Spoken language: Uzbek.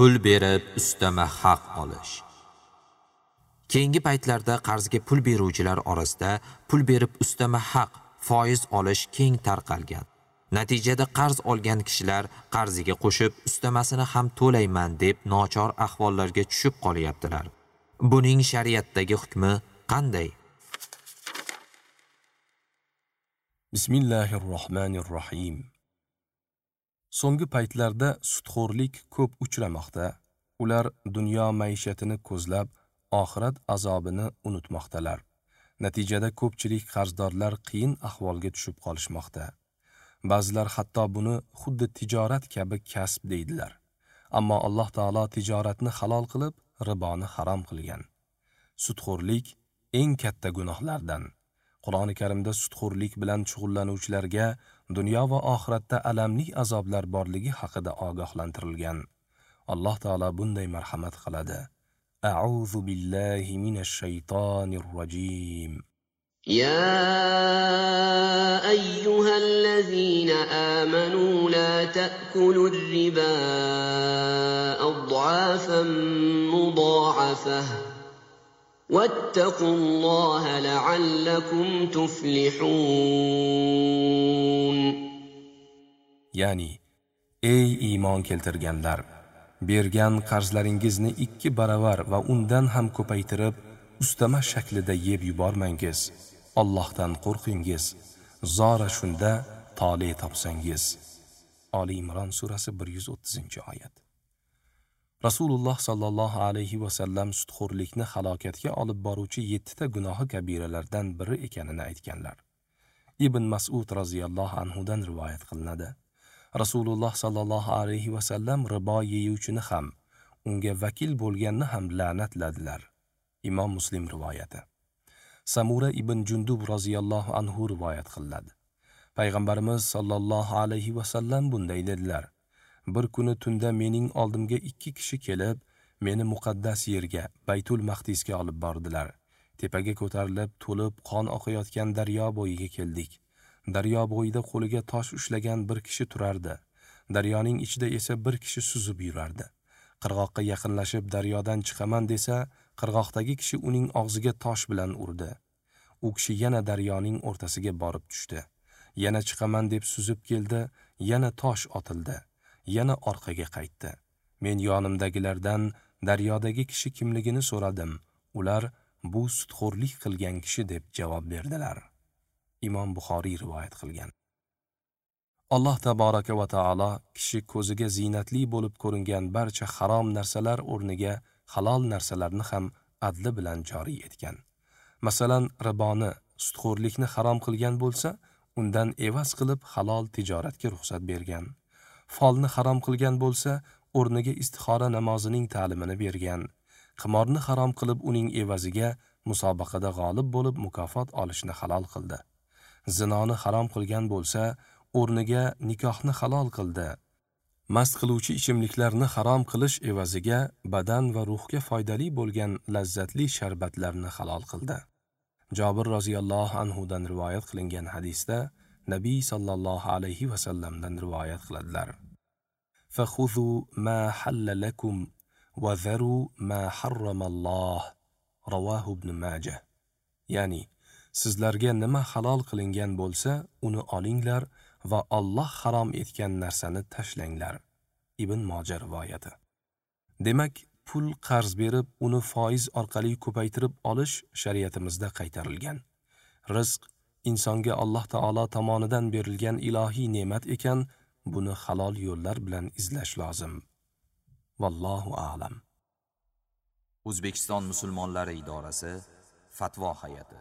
Pul berib ustama haq olish. Keyingi paytlarda qarzga pul beruvchilar orasida pul berib ustama haq, foiz olish keng tarqalgan. Natijada qarz olgan kishilar qarziga qo'shib ustamasini ham to'layman deb nochor ahvollarga tushib qolyaptilar. Buning shariatdagi hukmi qanday? Bismillahirrohmanirrohim. So'nggi paytlarda sudxo'rlik ko'p uchramoqda. Ular dunyo maishatini ko'zlab, oxirat azobini unutmoqdalar. Natijada ko'pchilik qarzdorlar qiyin ahvolga tushib qolishmoqda. Ba'zilar hatto buni xuddi tijorat kabi kasb deydilar. Ammo Alloh taolo tijoratni halol qilib, riboni harom qilgan. Sudxo'rlik eng katta gunohlardan. Qur'oni Karimda sudxo'rlik bilan shug'ullanuvchilarga dunyo va oxiratda alamli azoblar borligi haqida ogohlantirilgan. Alloh taolo bunday marhamat qiladi. A'udhu billahi minash shaytonir rojim. يا أيها الذين آمنوا لا تأكلوا الربا أضعافا مضاعفة واتقوا الله لعلكم تفلحون. Ya'ni, ey iymon keltirganlar, bergan qarzlaringizni 2 baravar va undan ham ko'paytirib, ustama shaklida yeb yubormangiz. Allohdan qo'rqingiz, zora shunda tole topsangiz. Ali Imron surasi 130-oyat. Rasululloh sallallohu alayhi va sallam sudxo'rlikni halokatga olib boruvchi 7 ta gunohi kabiralardan biri ekanini aytganlar. Ibn Mas'ud roziyallohu anhu dan rivoyat qilinadi. Rasululloh sallallohu alayhi va sallam ribo yeyuvchini ham, unga vakil bo'lganni ham la'natladilar. Imom Muslim rivoyati. Samura ibn Jundub roziyallohu anhu rivoyat qiladi. Payg'ambarimiz sallallohu alayhi va sallam bunday dedilar: Bir kuni tunda mening oldimga 2 kishi kelib, meni muqaddas yerga, Baytul Maqdisga olib bordilar. Tepaga ko'tarilib, to'lib qon oqayotgan daryo bo'yiga keldik. Daryo bo'yida qo'liga tosh ushlagan bir kishi turardi. Daryoning ichida esa bir kishi suzib yurardi. Qirg'oqqa yaqinlashib daryodan chiqaman desa, qirg'oqdagi kishi uning og'ziga tosh bilan urdi. U kishi yana daryoning o'rtasiga borib tushdi. Yana chiqaman deb suzib keldi, yana tosh otildi, yana orqaga qaytdi. Men yonimdagilardan daryodagi kishi kimligini so'radim. Ular bu sudxo'rlik qilgan kishi deb javob berdilar. Imom Buxoriy rivoyat qilgan. Alloh taboraka va taolo kishi ko'ziga zinatli bo'lib ko'ringan barcha harom narsalar o'rniga halol narsalarni ham adli bilan joriy etgan. Masalan, riboni, sudxo'rlikni harom qilgan bo'lsa, undan evaz qilib halol tijoratga ruxsat bergan. Folni harom qilgan bo'lsa, o'rniga istixora namozining ta'limini bergan. Qimorni harom qilib, uning evaziga musobaqada g'olib bo'lib mukofot olishni halol qildi. Zinoni harom qilgan bo'lsa, o'rniga nikohni halol qildi. Mast qiluvchi ichimliklarni harom qilish evaziga badan va ruhga foydali bo'lgan lazzatli sharbatlarni halol qildi. Jobir roziyallohu anhu dan rivoyat qilingan hadisda Nabiy sallallohu alayhi va sallamdan rivoyat qiladilar. Fakhudhu ma halla lakum wa dharu ma harrama Alloh. Rawahu Ibn Majah. Ya'ni, sizlarga nima halol qilingan bo'lsa, uni olinglar va Alloh harom etgan narsani tashlanglar. Ibn Moja rivoyati. Demak, pul qarz berib, uni foiz orqali ko'paytirib olish shariatimizda qaytarilgan. Rizq insonga Alloh taolo tomonidan berilgan ilohiy ne'mat ekan, buni halol yo'llar bilan izlash lozim. Vallohu a'lam. O'zbekiston musulmonlari idorasi Fatvo hay'ati.